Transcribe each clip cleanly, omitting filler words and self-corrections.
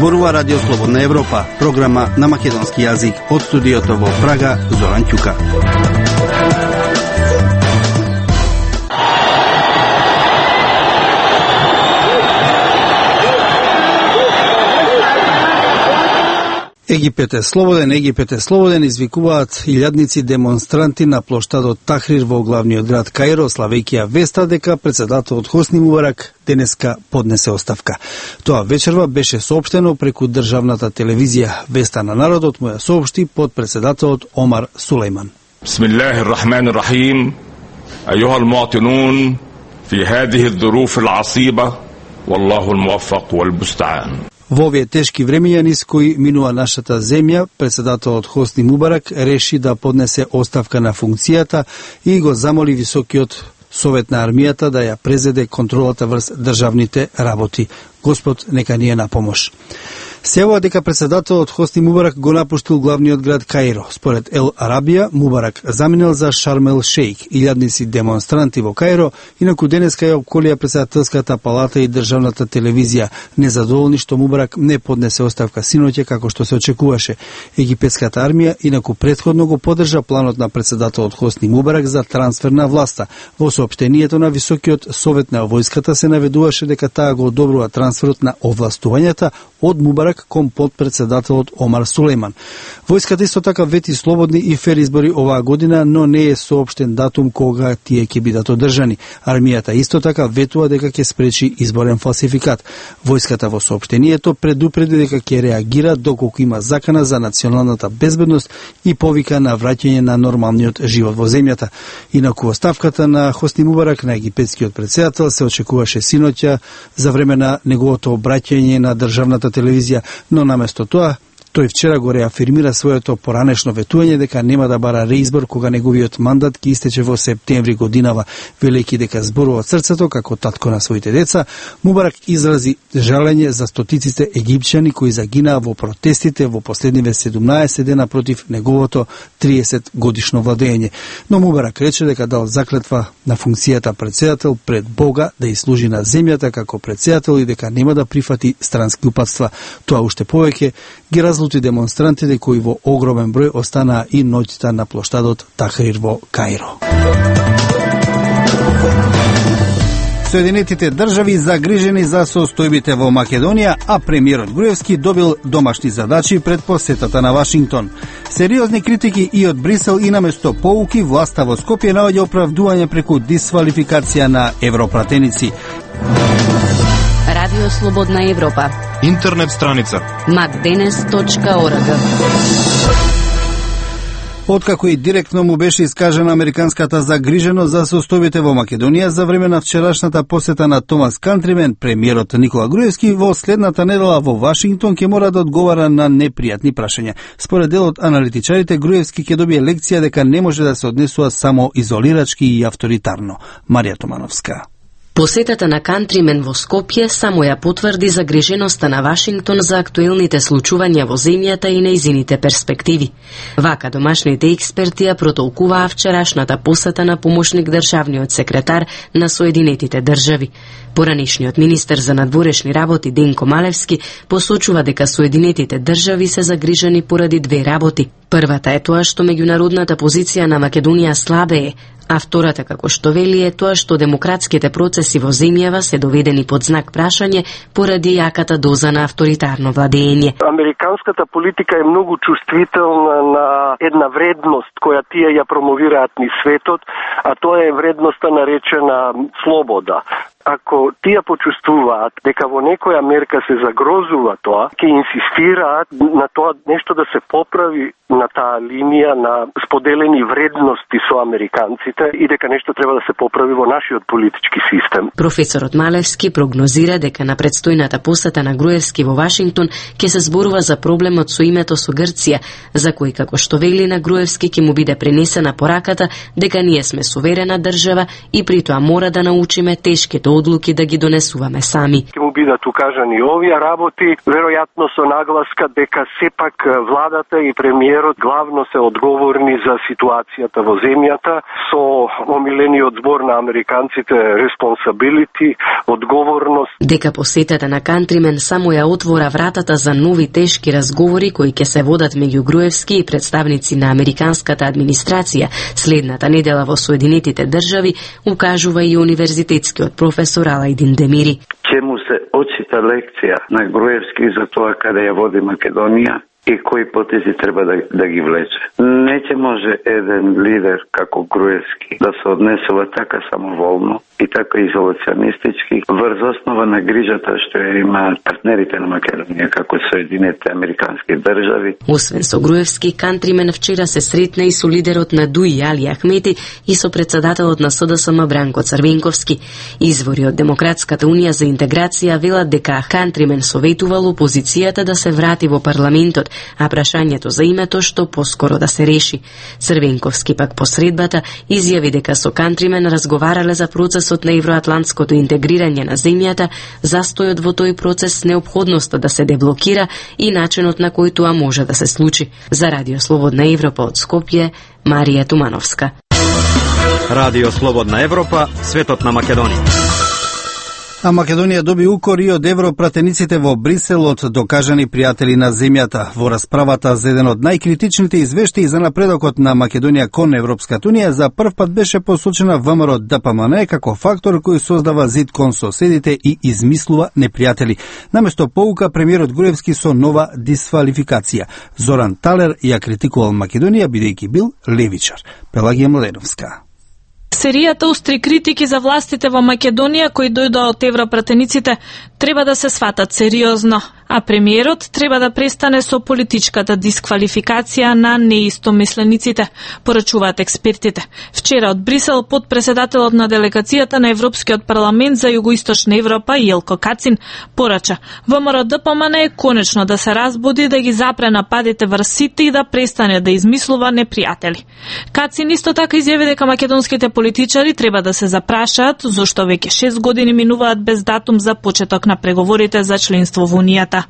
Зборува Радио Слободна Европа, програма на македонски јазик од студиото во Прага, Зоран Ќука. Египет е слободен, извикуваат илјадници демонстранти на плоштадот Тахрир во главниот град Каиро, славејќи ја веста дека председателот Хосни Мубарак денеска поднесе оставка. Тоа вечерва беше соопштено преку државната телевизија. Веста на народот му ја соопшти подпредседателот Омар Сулејман. Бисмиллахир-рахманир-рахим. Ајуҳал муатинун фи ҳадиҳи ظروف العصيبة والله الموفق والمستعان. Во овие тешки времења низ кои минува нашата земја, председателот Хосни Мубарак реши да поднесе оставка на функцијата и го замоли Високиот совет на армијата да ја презеде контролата врз државните работи. Господ нека ни е на помош. Се јавува дека председателот Хосни Мубарак го напуштил главниот град Каиро. Според Ел Арабија, Мубарак заминел за Шарм ел Шејк. Илјадници демонстранти во Каиро инаку денеска ја обколија председателската палата и државната телевизија, незадоволни што Мубарак не поднесе оставка синоќа како што се очекуваше. Египетската армија инаку претходно го поддржа планот на председателот Хосни Мубарак за трансфер на власта. Во соопштението на Високиот совет на војската се наведуваше дека таа го одобрува трансферот на овластувањата од Мубарак кон подпредседателот Омар Сулејман. Војската исто така вети слободни и фер избори оваа година, но не е соопштен датум кога тие ќе бидат одржани. Армијата исто така ветува дека ќе спречи изборен фалсификат. Војската во соопштението предупреди дека ќе реагира доколку има закана за националната безбедност и повика на враќање на нормалниот живот во земјата. Инаку оставката на Хосни Мубарак на египетскиот претседател се очекуваше синоќа за време на неговото обраќање на државната телевизија, но наместо тоа, тој вчера го реафирмира своето поранешно ветување дека нема да бара реизбор кога неговиот мандат ќе истече во септември годинава, велејќи дека зборува од срцето како татко на своите деца. Мубарак изрази жалење за стотиците египчани кои загинаа во протестите во последниве 17 дена против неговото 30 годишно владење. Но Мубарак рече дека дал заклетва на функцијата председател пред Бога да служи на земјата како председател и дека нема да прифати странски упатства. Тоа уште повеќе ги разлути демонстрантите кои во огромен број останаа и ноќта на плоштадот Тахрир во Каиро. Соединетите држави загрижени за состојбите во Македонија, а премиерот Груевски добил домашни задачи пред посетата на Вашингтон. Сериозни критики и од Брисел и наместо поуки, власта во Скопје наоѓа оправдување преку дисвалификација на европратеници. Радио Слободна Европа. Интернет страница macdenes.org. Откако и директно му беше искажена американската загриженост за состојбите во Македонија за време на вчерашната посета на Томас Кантримен, премиерот Никола Груевски во следната недела во Вашингтон ќе мора да одговара на непријатни прашања. Според дел од аналитичарите, Груевски ќе добие лекција дека не може да се однесува само изолирачки и авторитарно. Марија Томановска. Посетата на Кантримен во Скопје само ја потврди загриженоста на Вашингтон за актуелните случувања во земјата и нејзините перспективи. Вака домашните експерти ја протолкуваа вчерашната посета на помошник државниот секретар на Соединетите држави. Поранишниот министер за надворешни работи Денко Малевски посочува дека Соединетите држави се загрижени поради две работи. Првата е тоа што меѓународната позиција на Македонија слабее, а втората, како што вели, е тоа што демократските процеси во земјава се доведени под знак прашање поради јаката доза на авторитарно владење. Американската политика е многу чувствителна на една вредност која тие ја промовираат низ светот, а тоа е вредноста наречена слобода. Ако тие почувствуваат дека во некоја мерка се загрозува тоа, ќе инсистираат на тоа нешто да се поправи на таа линија на споделени вредности со американците и дека нешто треба да се поправи во нашиот политички систем. Професорот Малевски прогнозира дека на предстојната посета на Груевски во Вашингтон ќе се зборува за проблемот со името со Грција, за кој, како што вели, на Груевски ќе му биде пренесена пораката дека ние сме суверена држава и при тоа мора да научиме тешките одлуки да ги донесуваме сами. Ќе му бидат укажани овие работи, веројатно со нагласка дека сепак владата и премиерот главно се одговорни за ситуацијата во земјата, со омилениот збор на американците responsibility, одговорност. Дека посетата на Кантримен само ја отвора вратата за нови тешки разговори кои ќе се водат меѓу Груевски и представници на американската администрација следната недела во Соединетите држави, укажува и универзитетскиот професор Алајдин Демири. Ќе му се очита лекција на Груевски за тоа каде ја води Македонија и кои потези треба да ги влече. Не ќе може еден лидер како Груевски да се однесува така самоволно и така изолационистички врз основа на грижата што ја имаат партнерите на Македонија како Соединетите американски држави. Освен со Груевски, Кантримен вчера се сретна и со лидерот на ДУИ Али Ахмети и со председателот на СДСМ Бранко Црвенковски. Извори од Демократската унија за интеграција велат дека Кантримен советувал опозицијата да се врати во парламентот, а прашањето за името што поскоро да се реши. Црвенковски пак по средбата изјави дека со Кантримен разговарале за процесот на евроатлантското интегрирање на земјата, застојот во тој процес, неопходноста да се деблокира и начинот на кој тоа може да се случи. За Радио Слободна Европа од Скопје, Марија Тумановска. Радио Слободна Европа, светот на Македонија. А Македонија доби укори од европратениците во Брисел од докажани пријатели на земјата. Во расправата за еден од најкритичните извештаи за напредокот на Македонија кон Европската унија, за прв пат беше посочена ВМРО ДПМН како фактор кој создава зид кон соседите и измислува непријатели. Наместо поука, премиерот Груевски со нова дисквалификација. Зоран Талер ја критикувал Македонија бидејќи бил левичар. Пелагија Младеновска. Серијата остри критики за властите во Македонија кои дојдоа од европратениците треба да се сватат сериозно, а премиерот треба да престане со политичката дисквалификација на неистомислениците, порачуваат експертите. Вчера од Брисел подпредседателот на делегацијата на Европскиот парламент за Југоисточна Европа Јелко Кацин порача ВМРО ДПМН конечно да се разбуди, да ги запре нападите врз сите и да престане да измислува непријатели. Кацин исто така изјави дека македонските политичари треба да се запрашаат зошто веќе 6 години минуваат без датум за почеток на преговорите за членство во Унијата.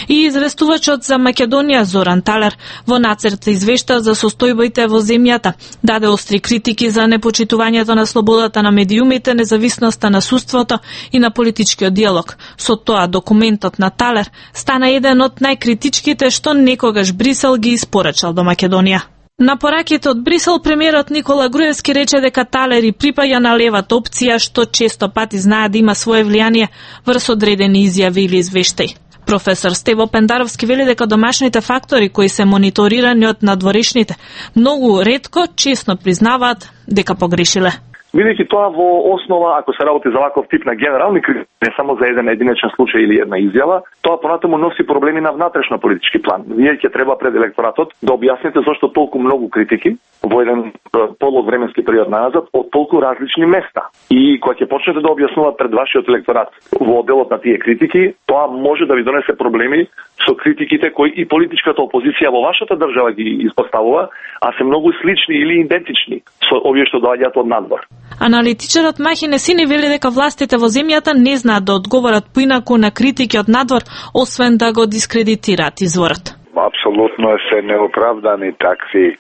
И известувачот за Македонија Зоран Талер во нацрт извешта за состојбите во земјата, даде остри критики за непочитувањето на слободата на медиумите, независноста на судството и на политичкиот диалог. Со тоа документот на Талер стана еден од најкритичките што некогаш Брисел ги испорачал до Македонија. На пораките од Брисел, премиерот Никола Груевски рече дека Талер и припаѓа на левата опција, што често пати знае да има свое влијание врз одредени изјави или извештаи. Професор Стево Пендаровски вели дека домашните фактори кои се мониторирани од надворешните многу ретко, честно признаваат дека погрешиле. Бидејќи тоа во основа, ако се работи за ваков тип на генерални критики, не само за еден единечен случај или една изјава, тоа понатаму носи проблеми на внатрешно политички план. Вие ќе треба пред електоратот да објасните зошто толку многу критики во еден полог временски период назад од толку различни места. И кога ќе почнете да објаснувате пред вашиот електорат во одделот на тие критики, тоа може да ви донесе проблеми со критиките кои и политичката опозиција во вашата држава ги испоставува, а се многу слични или идентични со овие што доаѓаат од надвор. Аналитичарот Махи Несини вели дека властите во земјата не знаат да одговорат поинаку на критики од надвор, освен да го дискредитираат изворот. Апсолутно се неоправдани такви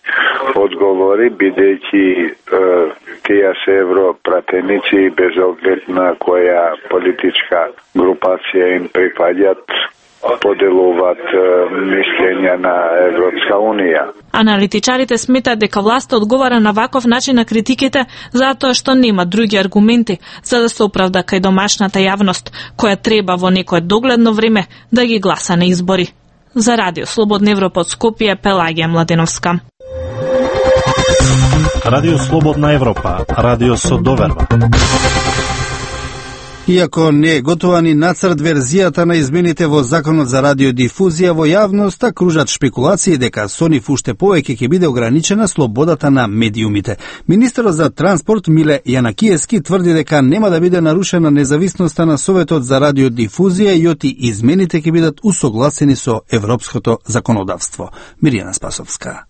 одговори, бидејќи тие се европратеници без оглед на која политичка групација им припаѓат, поделуваат мислења на Европска Унија. Аналитичарите сметаат дека власта одговара на ваков начин на критиките затоа што нема други аргументи за да се оправда кај домашната јавност, која треба во некое догледно време да ги гласа на избори. За Радио Слободна Европа од Скопје, Пелагија Младеновска. Радио Слободна Европа, радио со доверба. Иако не е готова ни нацрт верзијата на измените во Законот за радиодифузија, во јавноста кружат шпекулации дека со нив уште повеќе ќе биде ограничена слободата на медиумите. Министерот за транспорт Миле Јанакиевски тврди дека нема да биде нарушена независноста на Советот за радиодифузија и оти измените ќе бидат усогласени со европското законодавство. Мирјана Спасовска.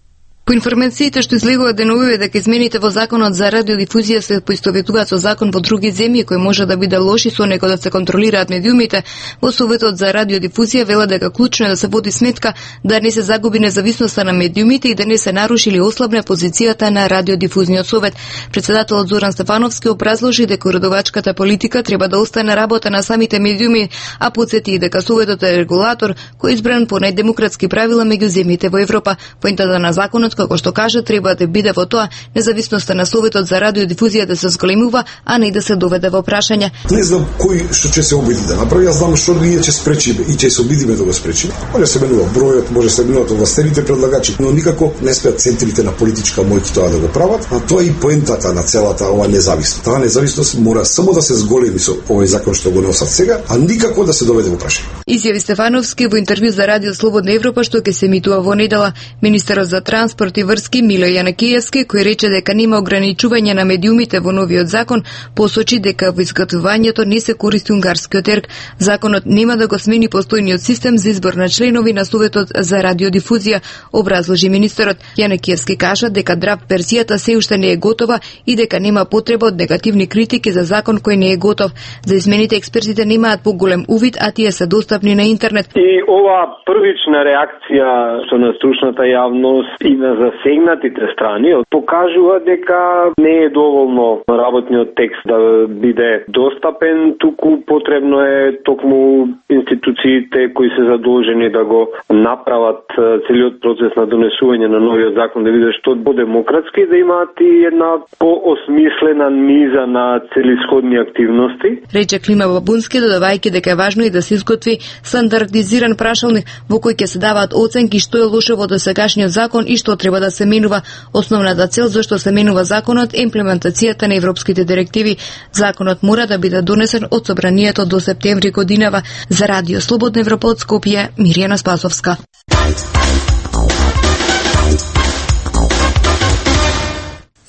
По информациите што излегува деновиве дека измените во законот за радиодифузија се поистоветуваат со закон во други земји кои може да биде лоши со него да се контролираат медиумите, во Советот за радиодифузија вела дека клучно е да се води сметка да не се загуби независноста на медиумите и да не се наруши или ослабне позицијата на радиодифузниот совет. Председателот Зоран Стефановски образложи дека уредувачката политика треба да остане работа на самите медиуми, а потсети и дека советот е регулатор кој е избран по најдемократски правила меѓу земјите во Европа. Поентата на законот, како што кажа, треба да биде во тоа независноста на Советот за радиодифузија да се зголемува, а не да се доведе во прашање. Не знам кој што ќе се обиди да направи, јас знам што ние ќе спречиме и ќе се обидиме да го спречиме. Може се менува бројот, може се менуваат овластените предлагачи, но никако не спеат центрите на политичка моќ тоа да го прават, а тоа е и поентата на целата ова независност. Таа независност мора само да се зголеми со овој закон што го носат сега, а никако да се доведе во прашање. Изјави Стефановски во интервју за Радио Слободна Европа што ќе се емитува во недела. Министерот за транспорт и врски Мило Јанакиевски, кој рече дека нема ограничување на медиумите во новиот закон, посочи дека во изготвувањето не се користи унгарскиот ерк. Законот нема да го смени постојниот систем за избор на членови на Советот за радиодифузија, образложи министерот. Јанакиевски кажа дека драп верзијата се уште не е готова и дека нема потреба од негативни критики за закон кој не е готов. За измените експертите немаат поголем увид, а тие се достапни на интернет. И ова првична реакција со на стручната јавност и на засегнатите страни покажува дека не е доволно работниот текст да биде достапен, туку потребно е токму институциите кои се задолжени да го направат целиот процес на донесување на новиот закон да биде што по-демократски, да имаат и една поосмислена низа на целисходни активности. Рече Клима Бабунски, додавајќи дека е важно и да се изготви стандардизиран прашалник во кој ќе се даваат оценки што е лошо во досегашниот закон и што треба да се менува. Основната цел зашто се менува законот е имплементацијата на европските директиви. Законот мора да биде донесен од собранието до септември годинава. За Радио Слободна Европа од Скопје, Мирјана Спасовска.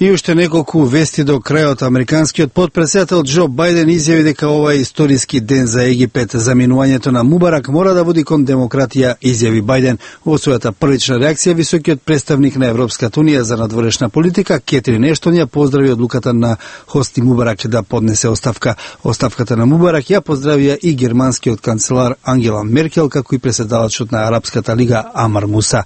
И уште неколку вести до крајот. Американскиот потпредседател Џо Бајден изјави дека ова е историски ден за Египет. Заминувањето на Мубарак мора да води кон демократија, изјави Бајден. Во својата првична реакција, високиот представник на Европската унија за надворешна политика Кетрин Ештон ја поздрави одлуката на Хосни Мубарак да поднесе оставка. Оставката на Мубарак ја поздравија и германскиот канцелар Ангела Меркел, како и преседавачот на Арапската лига Амар Муса.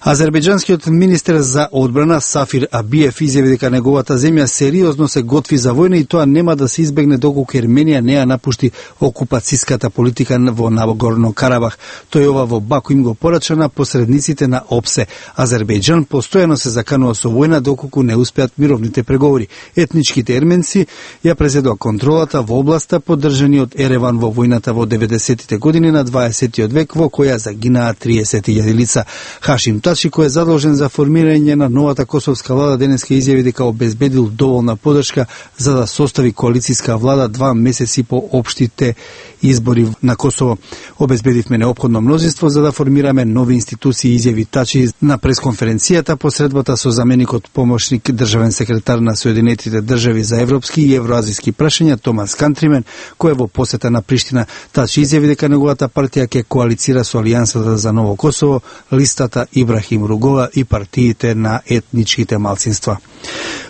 Азербејџанскиот министер за одбрана Сафир Абиев изјави дека неговата земја сериозно се готви за војна и тоа нема да се избегне доколку Ерменија не ја напушти окупацијската политика во Нагорно Карабах. Тој ова во Баку им го порача на посредниците на ОПСЕ. Азербејџан постојано се заканува со војна доколку не успеат мировните преговори. Етничките ерменци ја презедоа контролата во областа поддржани од Ереван во војната во 90-тите години на 20-тиот век во која загинаа 30.000 лица. Хашим Тачи, кој е задолжен за формирање на новата косовска влада, денеска изјави дека обезбедил доволна поддршка за да состави коалицијска влада 2 месеци по општите избори на Косово. Обезбедивме неопходно мнозинство за да формираме нови институции, изјави Тачи на пресконференцијата посредбата со заменикот помошник државен секретар на Соединетите држави за европски и евроазиски прашања Томас Кантримен, кој е во посета на Приштина. Тачи изјави дека неговата партија ќе коалицира со Алијансата за ново Косово, листата Ибрахим Ругова и партиите на етничките малцинства.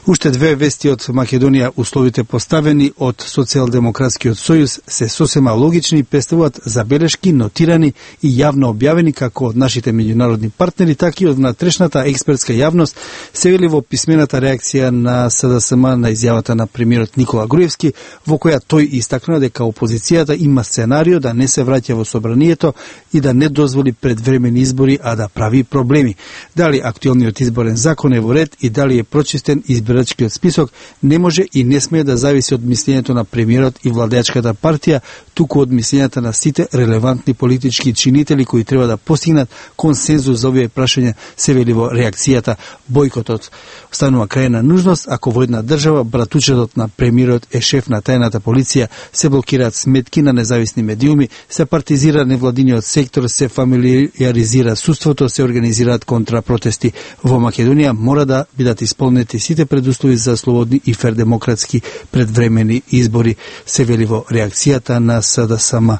Уште две вести од Македонија. Условите поставени од Социјалдемократскиот сојуз се сосема логични и представуваат забелешки, нотирани и јавно објавени како од нашите меѓународни партнери, така и од внатрешната експертска јавност, се вели во писмената реакција на СДСМ на изјавата на премиерот Никола Груевски, во која тој истакнува дека опозицијата има сценарио да не се враќа во собранието и да не дозволи предвремени избори, а да прави проблеми. Дали актуелниот изборен закон е во ред и дали е прочистен избирачкиот список, не може и не смее да зависи од мислењето на премиерот и владеачката партија, туку од мислењата на сите релевантни политички чинители кои треба да постигнат консензус за овие прашања, се вели во реакцијата. Бојкотот станува крајна нужност ако во една држава братучетот на премиерот е шеф на тајната полиција, се блокираат сметки на независни медиуми, се партизира невладиниот сектор, се фамилиаризира судството, се организираат контрапротести. Во Македонија мора да бидат исполнети сите предуслови за слободни и фер демократски предвремени избори, се вели во реакцијата на СДСМ.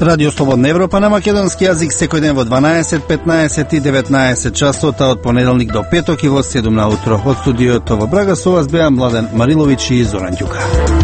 Радио Слободна Европа на македонски јазик секој ден во 12, 15 и 19 часот, од понеделник до петок и во 7 на утро. Од студиото во Брага со вас беа Младен Мариловиќ и Зоран Ѓука.